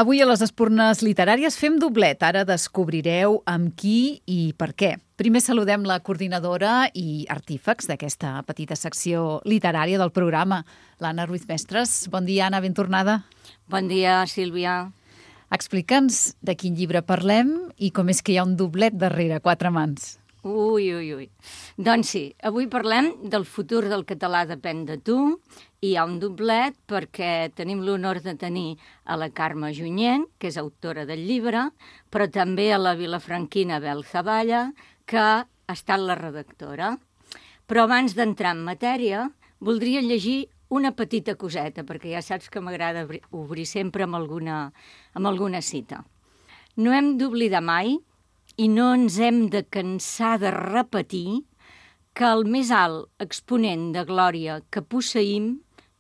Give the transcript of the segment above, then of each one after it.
Avui a les Espurnes Literàries fem doblet. Ara descobrireu amb qui i per què. Primer saludem la coordinadora i artífex d'aquesta petita secció literària del programa, l'Anna Ruiz Mestres. Bon dia, Anna, ben tornada. Bon dia, Sílvia. Explica'ns de quin llibre parlem i com és que hi ha un doblet darrere quatre mans. Ui. Doncs sí, avui parlem del futur del català depèn de tu i hi ha un doblet perquè tenim l'honor de tenir a la Carme Junyent, que és autora del llibre, però també a la vilafranquina Bel Zaballa, que ha estat la redactora. Però abans d'entrar en matèria, voldria llegir una petita coseta, perquè ja saps que m'agrada obrir sempre amb alguna cita. No hem d'oblidar mai i no ens hem de cansar de repetir que el més alt exponent de glòria que posseïm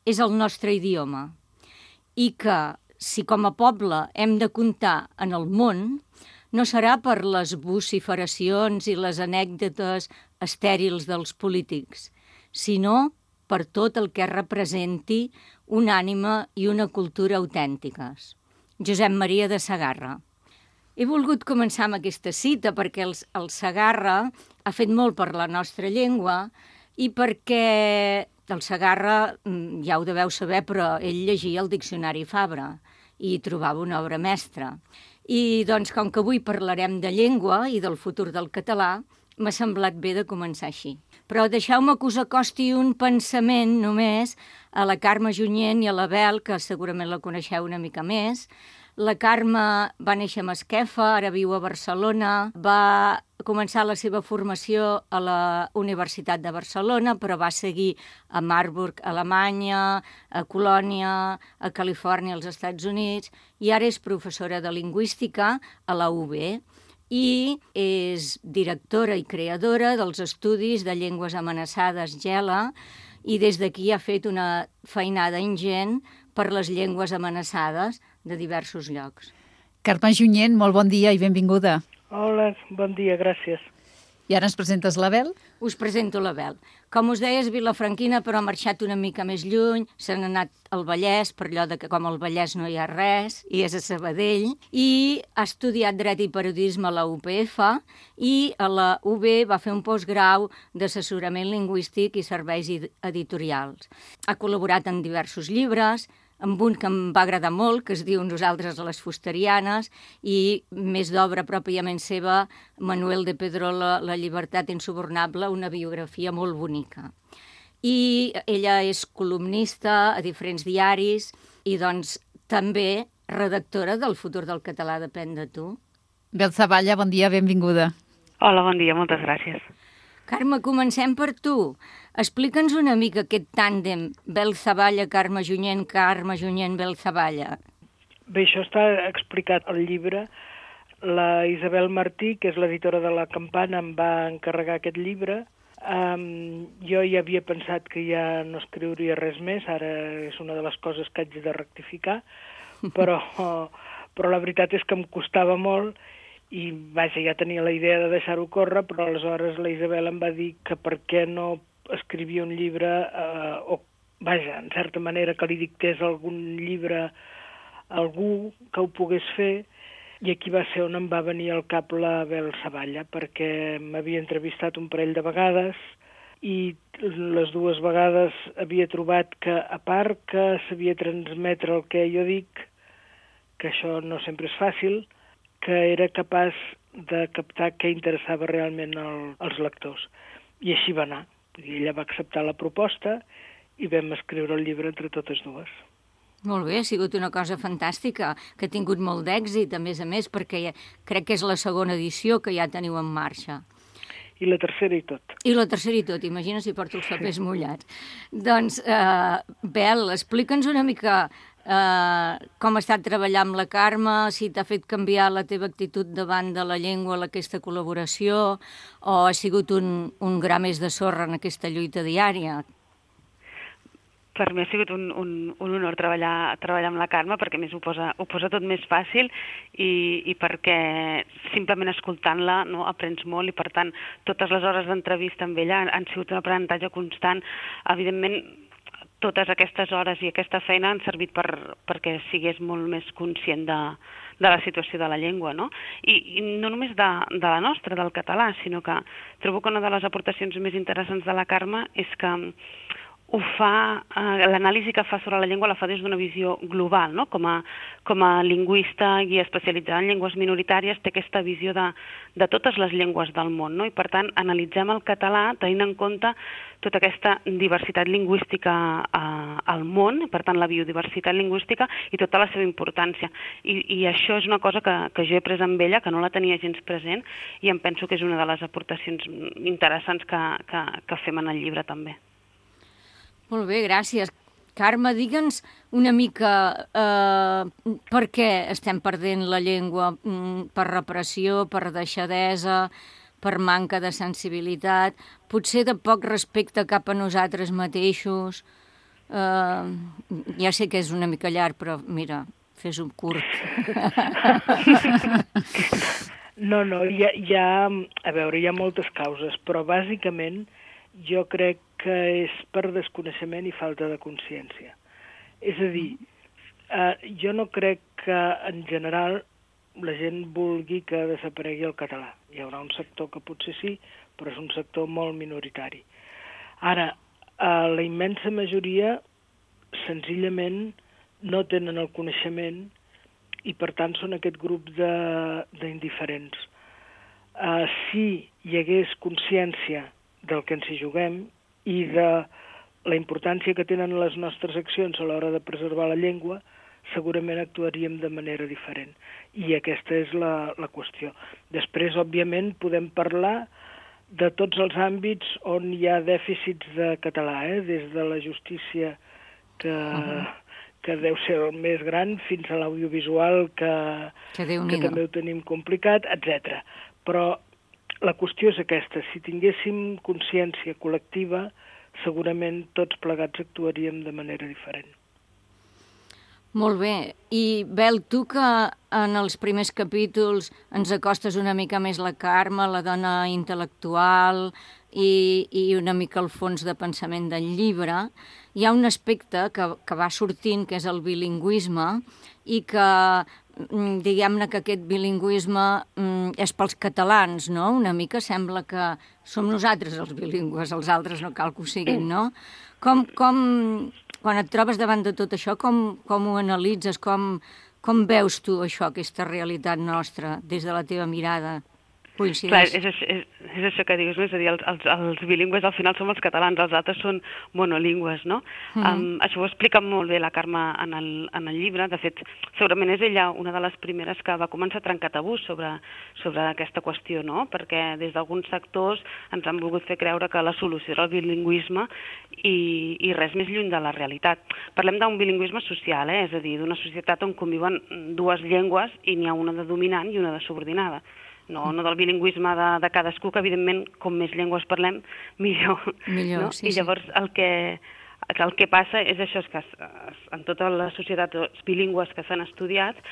és el nostre idioma i que, si com a poble hem de comptar en el món, no serà per les vociferacions i les anècdotes estèrils dels polítics, sinó per tot el que representi una ànima i una cultura autèntiques. Josep Maria de Segarra. He volgut començar amb aquesta cita perquè el Segarra ha fet molt per la nostra llengua i perquè el Segarra, ja ho deveu saber, però ell llegia el Diccionari Fabra i trobava una obra mestra. I doncs, com que avui parlarem de llengua i del futur del català, m'ha semblat bé de començar així. Però deixeu-me que us acosti un pensament només a la Carme Junyent i a la Bel, que segurament la coneixeu una mica més. La Carme va néixer a Masquefa, ara viu a Barcelona, va començar la seva formació a la Universitat de Barcelona, però va seguir a Marburg, a Alemanya, a Colònia, a Califòrnia, als Estats Units, i ara és professora de lingüística a la UB i és directora i creadora dels estudis de llengües amenaçades GELA i des d'aquí ha fet una feinada ingent per les llengües amenaçades de diversos llocs. Carme Junyent, molt bon dia i benvinguda. Hola, bon dia, gràcies. I ara ens presentes la Bel? Us presento la Bel. Com us deia, és vilafranquina, però ha marxat una mica més lluny, se n'ha anat al Vallès, per allò que com al Vallès no hi ha res, i és a Sabadell, i ha estudiat Dret i Periodisme a la UPF, i a la UB va fer un postgrau d'assessorament lingüístic i serveis editorials. Ha col·laborat en diversos llibres, amb un que em va agradar molt, que es diu Nosaltres les Fusterianes, i més d'obra pròpiament seva, Manuel de Pedrola, La llibertat insubornable, una biografia molt bonica. I ella és columnista a diferents diaris i doncs també redactora del Futur del català depèn de tu. Bel Zaballa, bon dia, benvinguda. Hola, bon dia, moltes gràcies. Carme, comencem per tu. Explica'ns una mica aquest tàndem Bel Zaballa, Carme Junyent, Bel Zaballa. Bé, això està explicat al llibre. La Isabel Martí, que és l'editora de La Campana, em va encarregar aquest llibre. Jo ja havia pensat que ja no escriuria res més, ara és una de les coses que haig de rectificar, però la veritat és que em costava molt i, vaja, ja tenia la idea de deixar-ho córrer, però aleshores la Isabel em va dir que per què no escrivia un llibre, o, vaja, en certa manera que li dictés algun llibre a algú que ho pogués fer, i aquí va ser on em va venir al cap la Bel Zaballa, perquè m'havia entrevistat un parell de vegades i les dues vegades havia trobat que, a part que sabia transmetre el que jo dic, que això no sempre és fàcil, que era capaç de captar què interessava realment als lectors. I així va anar. Ella va acceptar la proposta i vam escriure el llibre entre totes dues. Molt bé, ha sigut una cosa fantàstica, que ha tingut molt d'èxit, a més, perquè crec que és la segona edició que ja teniu en marxa. I la tercera i tot. I la tercera i tot, imagina si porto els papers mullats. Doncs, Bel, explica'ns una mica com ha estat treballar amb la Carme, si t'ha fet canviar la teva actitud davant de la llengua en aquesta col·laboració, o ha sigut un gra més de sorra en aquesta lluita diària. Per mi ha sigut un honor treballar amb la Carme, perquè a més ho posa tot més fàcil i perquè simplement escoltant-la no, aprens molt i per tant totes les hores d'entrevista amb ella han sigut un aprenentatge constant. Evidentment totes aquestes hores i aquesta feina han servit perquè sigués molt més conscient de la situació de la llengua, no? I no només de la nostra, del català, sinó que trobo que una de les aportacions més interessants de la Carme és que ho fa, l'anàlisi que fa sobre la llengua la fa des d'una visió global, no? Com a lingüista i especialitzada en llengües minoritàries té aquesta visió de totes les llengües del món, no? I per tant analitzem el català tenint en compte tota aquesta diversitat lingüística al món, per tant la biodiversitat lingüística i tota la seva importància. I això és una cosa que jo he pres amb ella, que no la tenia gens present, i em penso que és una de les aportacions interessants que fem en el llibre també. Molt bé, gràcies. Carme, digue'ns una mica per què estem perdent la llengua, per repressió, per deixadesa, per manca de sensibilitat, potser de poc respecte cap a nosaltres mateixos. Ja sé que és una mica llarg, però mira, fes-ho curt. No, hi ha moltes causes, però bàsicament jo crec que és per desconeixement i falta de consciència. És a dir, jo no crec que en general la gent vulgui que desaparegui el català. Hi haurà un sector que potser sí, però és un sector molt minoritari. Ara, la immensa majoria senzillament no tenen el coneixement i per tant són aquest grup d'indiferents. Si hi hagués consciència del que ens hi juguem i de la importància que tenen les nostres accions a l'hora de preservar la llengua, segurament actuaríem de manera diferent. I aquesta és la qüestió. Després, òbviament, podem parlar de tots els àmbits on hi ha dèficits de català, des de la justícia, que deu ser el més gran, fins a l'audiovisual, que també ho tenim complicat, etc. Però la qüestió és aquesta, si tinguéssim consciència col·lectiva, segurament tots plegats actuaríem de manera diferent. Molt bé. I, Bel, tu que en els primers capítols ens acostes una mica més la Carme, la dona intel·lectual i una mica el fons de pensament del llibre, hi ha un aspecte que va sortint, que és el bilingüisme, i que diguem-ne que aquest bilingüisme és pels catalans, no? Una mica sembla que som nosaltres els bilingües, els altres no cal que ho siguin, no? Quan et trobes davant de tot això, com ho analitzes? Com veus tu això, aquesta realitat nostra, des de la teva mirada? Clar, és això que digues, no? És a dir, els bilingües al final som els catalans, els altres són monolingües, no? Això ho explica molt bé la Carme en el llibre. De fet, segurament és ella una de les primeres que va començar a trencar tabús sobre aquesta qüestió, no? Perquè des d'alguns sectors ens han volgut fer creure que la solució era el bilingüisme i res més lluny de la realitat. Parlem d'un bilingüisme social, és a dir, d'una societat on conviuen dues llengües i n'hi ha una de dominant i una de subordinada. No del bilingüisme de cadascú, que evidentment com més llengües parlem, millor. No? Sí, i llavors el que passa és això, és que en totes les societats bilingües que s'han estudiat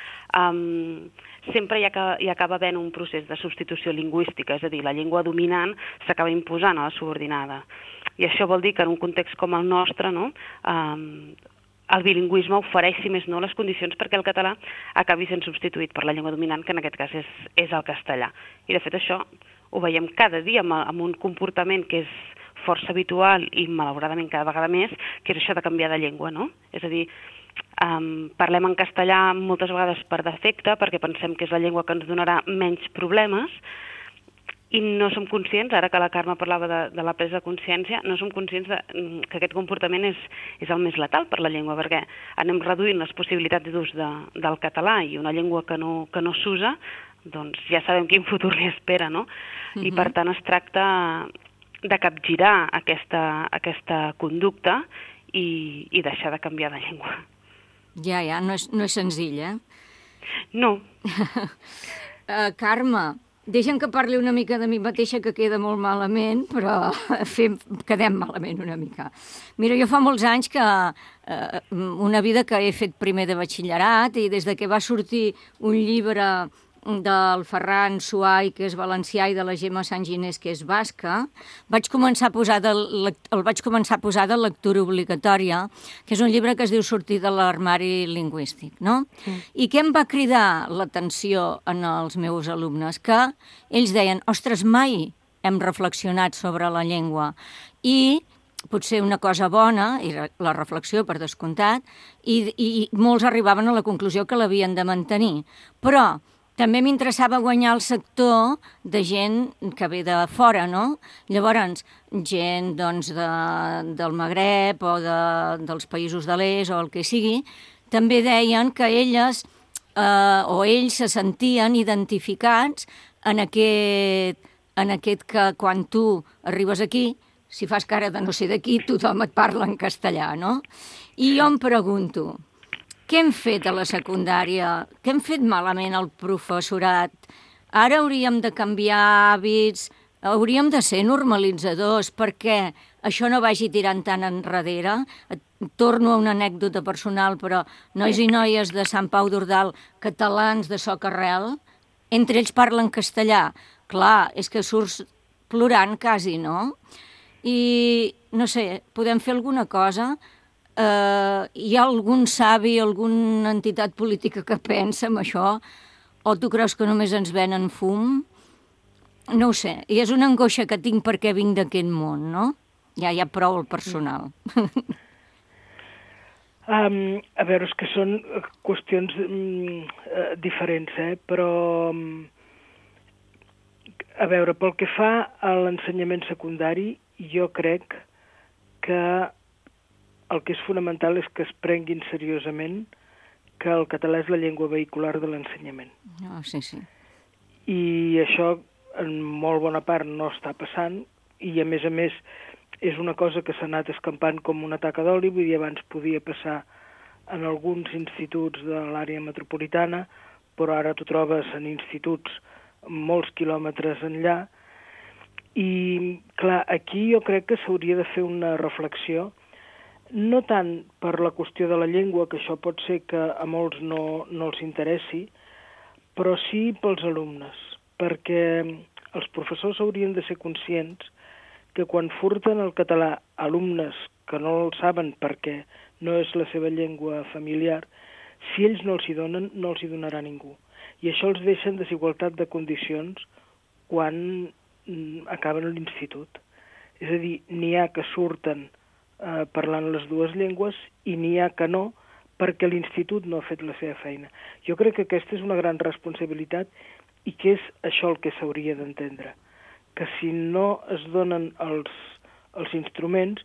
sempre hi acaba havent un procés de substitució lingüística, és a dir, la llengua dominant s'acaba imposant a la subordinada. I això vol dir que en un context com el nostre, no, el bilingüisme ofereix, si més no, les condicions perquè el català acabi sent substituït per la llengua dominant, que en aquest cas és el castellà. I de fet això ho veiem cada dia amb un comportament que és força habitual i malauradament cada vegada més, que és això de canviar de llengua, no? És a dir, parlem en castellà moltes vegades per defecte, perquè pensem que és la llengua que ens donarà menys problemes, i no som conscients, ara que la Carme parlava de la presa de consciència, no som conscients que aquest comportament és el més letal per la llengua, perquè anem reduint les possibilitats d'ús del català i una llengua que no s'usa, doncs ja sabem quin futur li espera, no? I per tant es tracta de capgirar aquesta conducta i deixar de canviar de llengua. Ja, no és senzill, eh? No. Carme, deixa'm que parli una mica de mi mateixa, que queda molt malament, però quedem malament una mica. Mira, jo fa molts anys que una vida que he fet primer de batxillerat i des de que va sortir un llibre del Ferran Suai, que és valencià, i de la Gemma Sanginés, que és basca, el vaig començar a posar de lectura obligatòria, que és un llibre que es diu Sortir de l'armari lingüístic, no? I què em va cridar l'atenció en els meus alumnes? Que ells deien, ostres, mai hem reflexionat sobre la llengua. I potser una cosa bona, i la reflexió per descomptat, i molts arribaven a la conclusió que l'havien de mantenir. Però també m'interessava guanyar el sector de gent que ve de fora, no? Llavors, gent doncs, del Magreb o dels països de l'est o el que sigui, també deien que elles o ells se sentien identificats en aquest que quan tu arribes aquí, si fas cara de no ser d'aquí, tothom et parla en castellà, no? I jo em pregunto, què hem fet a la secundària? Què hem fet malament al professorat? Ara hauríem de canviar hàbits, hauríem de ser normalitzadors perquè això no vagi tirant tan enrere. Torno a una anècdota personal, però nois i noies de Sant Pau d'Ordal, catalans de soca-rel, entre ells parlen castellà. Clar, és que surts plorant quasi, no? I, no sé, podem fer alguna cosa? Hi ha algun savi, alguna entitat política que pensa en això? O tu creus que només ens venen fum? No ho sé, i és una angoixa que tinc perquè vinc d'aquest món, no? Ja hi ha prou el personal. A veure, és que són qüestions diferents, però... A veure, pel que fa a l'ensenyament secundari, jo crec que el que és fonamental és que es prenguin seriosament que el català és la llengua vehicular de l'ensenyament. Sí, sí. I això, en molt bona part, no està passant, i a més, és una cosa que s'ha anat escampant com una taca d'oli, vull dir, abans podia passar en alguns instituts de l'àrea metropolitana, però ara t'ho trobes en instituts molts quilòmetres enllà, i clar, aquí jo crec que s'hauria de fer una reflexió, no tant per la qüestió de la llengua, que això pot ser que a molts no els interessi, però sí pels alumnes, perquè els professors haurien de ser conscients que quan furten el català alumnes que no el saben perquè no és la seva llengua familiar, si ells no els hi donen, no els hi donarà ningú. I això els deixa en desigualtat de condicions quan acaben l'institut. És a dir, n'hi ha que surten parlant les dues llengües i n'hi ha que no, perquè l'institut no ha fet la seva feina. Jo crec que aquesta és una gran responsabilitat i que és això el que s'hauria d'entendre. Que si no es donen els instruments,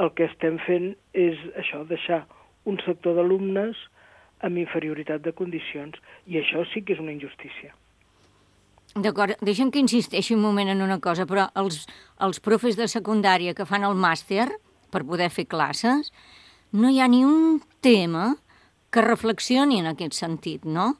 el que estem fent és això, deixar un sector d'alumnes amb inferioritat de condicions, i això sí que és una injustícia. D'acord, deixa'm que insisteixi un moment en una cosa, però els profes de secundària que fan el màster per poder fer classes, no hi ha ni un tema que reflexioni en aquest sentit, no?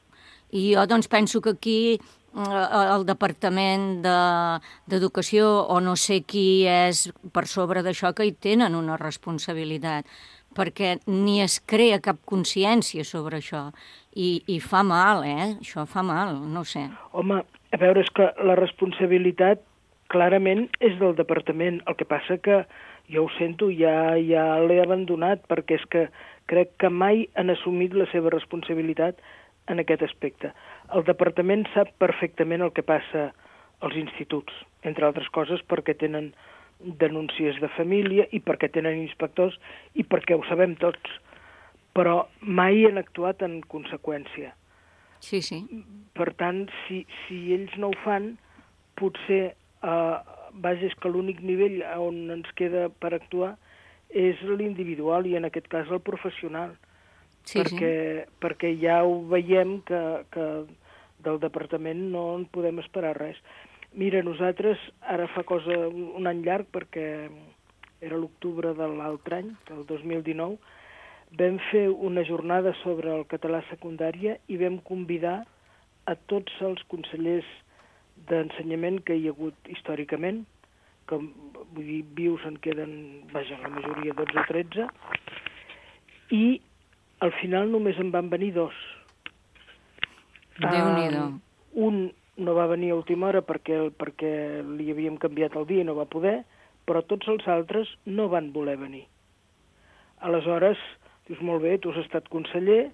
I jo doncs penso que aquí el Departament d'Educació o no sé qui és per sobre d'això que hi tenen una responsabilitat, perquè ni es crea cap consciència sobre això. I fa mal, Això fa mal, no ho sé. Home, a veure, és que la responsabilitat clarament és del departament. El que passa que, jo ho sento, ja l'he abandonat, perquè és que crec que mai han assumit la seva responsabilitat en aquest aspecte. El departament sap perfectament el que passa als instituts, entre altres coses perquè tenen denúncies de família i perquè tenen inspectors i perquè ho sabem tots, però mai han actuat en conseqüència. Sí, sí. Per tant, si ells no ho fan, potser és que l'únic nivell on ens queda per actuar és l'individual i en aquest cas el professional. Sí, perquè ja ho veiem que del departament no en podem esperar res. Mira, nosaltres, ara fa un any llarg, perquè era l'octubre de l'altre any, del 2019, vam fer una jornada sobre el català secundària i vam convidar a tots els consellers d'ensenyament que hi ha hagut històricament, que vull dir, vius en queden, la majoria 12 o 13, i al final només en van venir 2. Déu-n'hi-do. Un no va venir a última hora perquè li havíem canviat el dia i no va poder, però tots els altres no van voler venir. Aleshores, dius, molt bé, tu has estat conseller,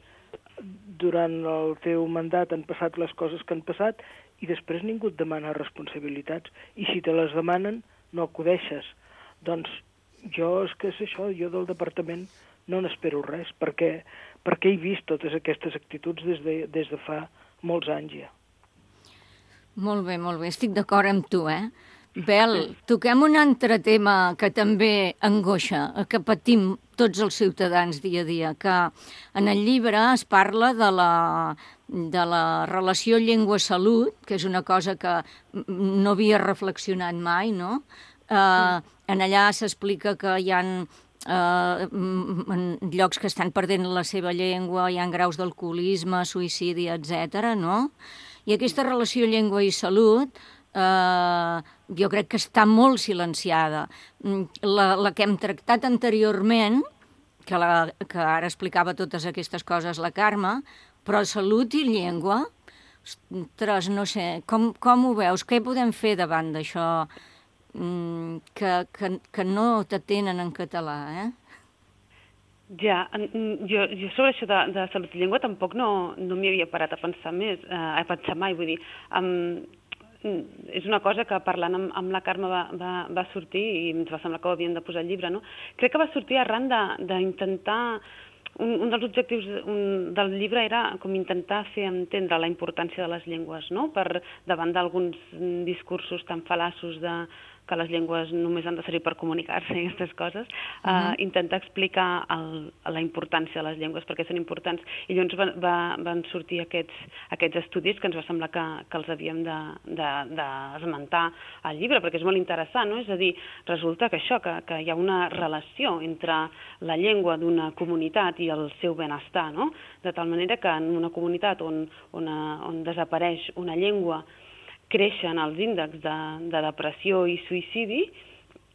durant el teu mandat han passat les coses que han passat i després ningú et demana responsabilitats. I si te les demanen, no acudeixes. Doncs jo, és que és això, jo del departament no n'espero res, perquè he vist totes aquestes actituds des de fa molts anys ja. Molt bé, estic d'acord amb tu, Bel, toquem un altre tema que també angoixa, que patim tots els ciutadans dia a dia, que en el llibre es parla de la relació llengua-salut, que és una cosa que no havia reflexionat mai, no? En allà s'explica que hi ha llocs que estan perdent la seva llengua, hi ha graus d'alcoholisme, suïcidi, etc. no? I aquesta relació llengua i salut jo crec que està molt silenciada. La que hem tractat anteriorment, que ara explicava totes aquestes coses la Carme, però salut i llengua, ostres, no sé, com ho veus? Què podem fer davant d'això que no t'atenen en català, Ja, jo sobre això de salut i llengua tampoc no m'hi havia parat a pensar mai, vull dir, és una cosa que parlant amb la Carme va sortir i ens va semblar que ho havien de posar al llibre, no? Crec que va sortir arran d'intentar, un dels objectius del llibre era com intentar fer entendre la importància de les llengües, no? Davant d'alguns discursos tan fal·laços que les llengües només han de servir per comunicar-se i aquestes coses, intentar explicar la importància de les llengües, perquè són importants. I llavors van sortir aquests estudis que ens va semblar que els havíem d'esmentar al llibre, perquè és molt interessant, no? És a dir, resulta que que hi ha una relació entre la llengua d'una comunitat i el seu benestar, no? De tal manera que en una comunitat on desapareix una llengua, creixen els índexs de depressió i suïcidi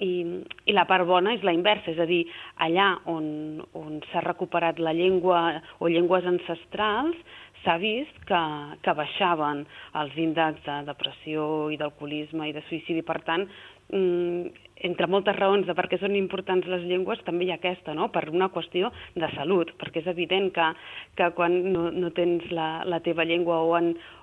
i la part bona és la inversa, és a dir, allà on s'ha recuperat la llengua o llengües ancestrals, s'ha vist que baixaven els índexs de depressió i d'alcoholisme i de suïcidi. Per tant, entre moltes raons de per què són importants les llengües, també hi ha aquesta, no? Per una qüestió de salut, perquè és evident que quan no tens la teva llengua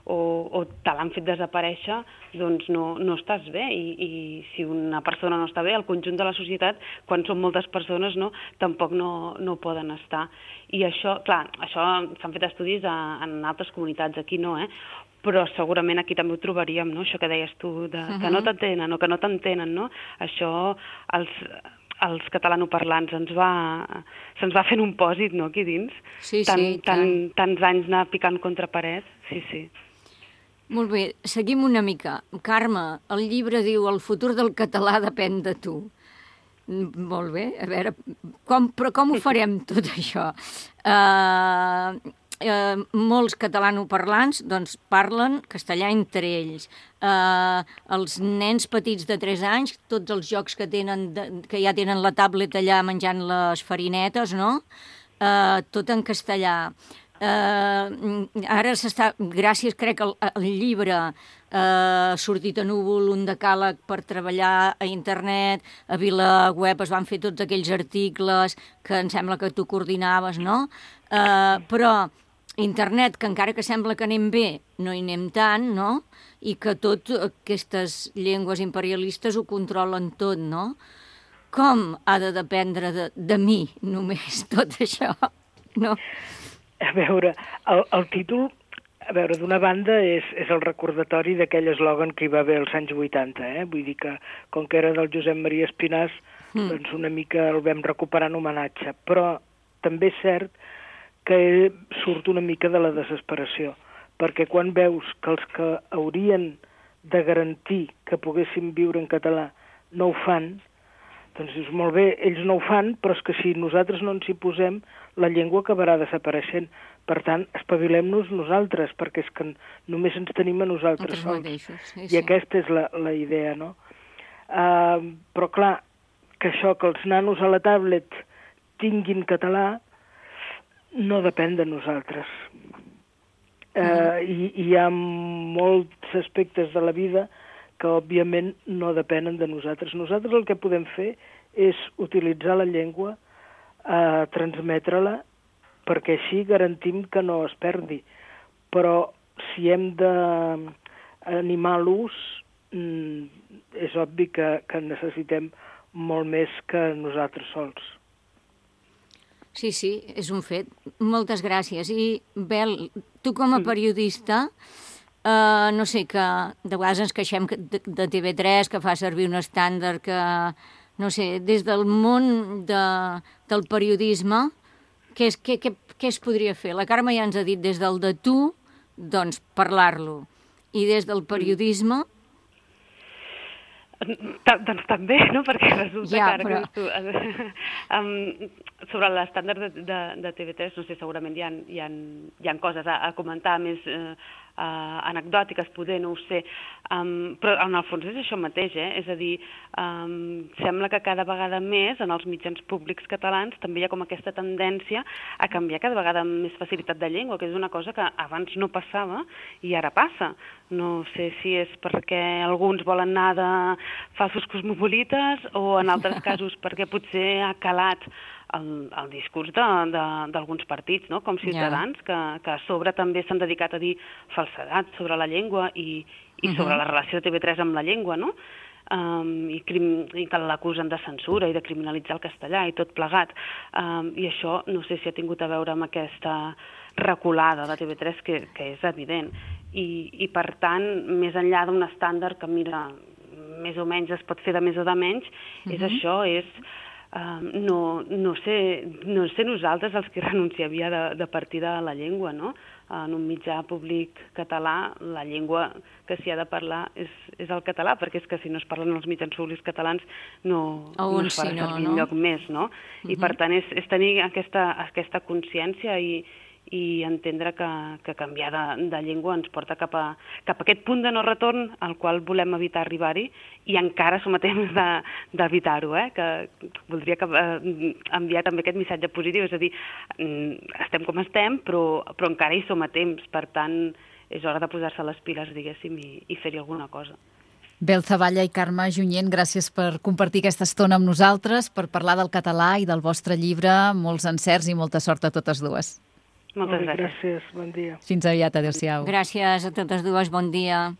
o te l'han fet desaparèixer, doncs no estàs bé, i si una persona no està bé, el conjunt de la societat, quan són moltes persones, tampoc no poden estar. I això, clar, s'han fet estudis en altres comunitats, aquí no, però segurament aquí també ho trobaríem, no? Això que deies tu, que no t'entenen o que no t'entenen, no? Això els catalanoparlants se'ns va fent un pòsit, no?, aquí dins. Sí, tants anys anar picant contra paret, sí. Molt bé, seguim una mica. Carme, el llibre diu el futur del català depèn de tu. Molt bé, a veure, però com ho farem tot això? Molts catalanoparlants doncs, parlen castellà entre ells. Els nens petits de 3 anys, tots els jocs que ja tenen la tablet allà menjant les farinetes, no? Tot en castellà. Ara gràcies, crec, al llibre ha sortit a Núvol un decàleg per treballar a internet, a VilaWeb es van fer tots aquells articles que em sembla que tu coordinaves, no? Però internet, que encara que sembla que anem bé, no hi anem tant, no? I que totes aquestes llengües imperialistes ho controlen tot, no? Com ha de dependre de mi només tot això, no? A veure, el títol, d'una banda és el recordatori d'aquell eslògan que hi va haver als anys 80, Vull dir que, com que era del Josep Maria Espinàs, doncs una mica el vam recuperar en homenatge. Però també és cert que surt una mica de la desesperació, perquè quan veus que els que haurien de garantir que poguéssim viure en català no ho fan, doncs dius, molt bé, ells no ho fan, però és que si nosaltres no ens hi posem, la llengua acabarà desapareixent. Per tant, espavilem-nos nosaltres, perquè és que només ens tenim a nosaltres sols. Sí. I aquesta és la idea, no? Però clar, que els nanos a la tablet tinguin català no depèn de nosaltres. I hi ha molts aspectes de la vida que, òbviament, no depenen de nosaltres. Nosaltres el que podem fer és utilitzar la llengua, transmetre-la, perquè així garantim que no es perdi. Però si hem d'animar l'ús, és obvi que necessitem molt més que nosaltres sols. Sí, és un fet. Moltes gràcies. I, Bel, tu com a periodista, no sé, que de vegades ens queixem de TV3, que fa servir un estàndard que, no sé, des del món del periodisme, què es podria fer? La Carme ja ens ha dit des del de tu, doncs parlar-lo. I des del periodisme... Doncs també, no? Perquè resulta que ara que sobre l'estàndard de TV3, no sé, segurament hi ha coses a comentar més anecdòtiques, poder, no ho sé, però en el fons és això mateix, és a dir, sembla que cada vegada més en els mitjans públics catalans també hi ha com aquesta tendència a canviar cada vegada amb més facilitat de llengua, que és una cosa que abans no passava i ara passa. No sé si és perquè alguns volen anar de falsos cosmopolites o en altres casos perquè potser ha calat el discurs d'alguns partits, no? Com Ciutadans, que a sobre també s'han dedicat a dir falsedat sobre la llengua i sobre la relació de TV3 amb la llengua, no? I que l'acusen de censura i de criminalitzar el castellà i tot plegat. I això no sé si ha tingut a veure amb aquesta reculada de TV3, que és evident. I per tant, més enllà d'un estàndard que, mira, més o menys es pot fer de més o de menys, és això, és... No sé nosaltres els que renunciaria de partir de la llengua, no? En un mitjà públic català, la llengua que s'hi ha de parlar és el català, perquè és que si no es parlen els mitjans públics catalans no es farà servir enlloc més, no? I per tant és tenir aquesta consciència i entendre que canviar de llengua ens porta cap a aquest punt de no retorn al qual volem evitar arribar-hi i encara som a temps d'evitar-ho, que voldria enviar també aquest missatge positiu, és a dir, estem com estem, però encara hi som a temps, per tant és hora de posar-se les piles, diguéssim, i fer-hi alguna cosa. Bel Zavalla i Carme Junyent, gràcies per compartir aquesta estona amb nosaltres, per parlar del català i del vostre llibre. Molts encerts i molta sort a totes dues. Moltes gràcies, bon dia. Fins aviat, adéu-siau. Gràcies a totes dues, bon dia.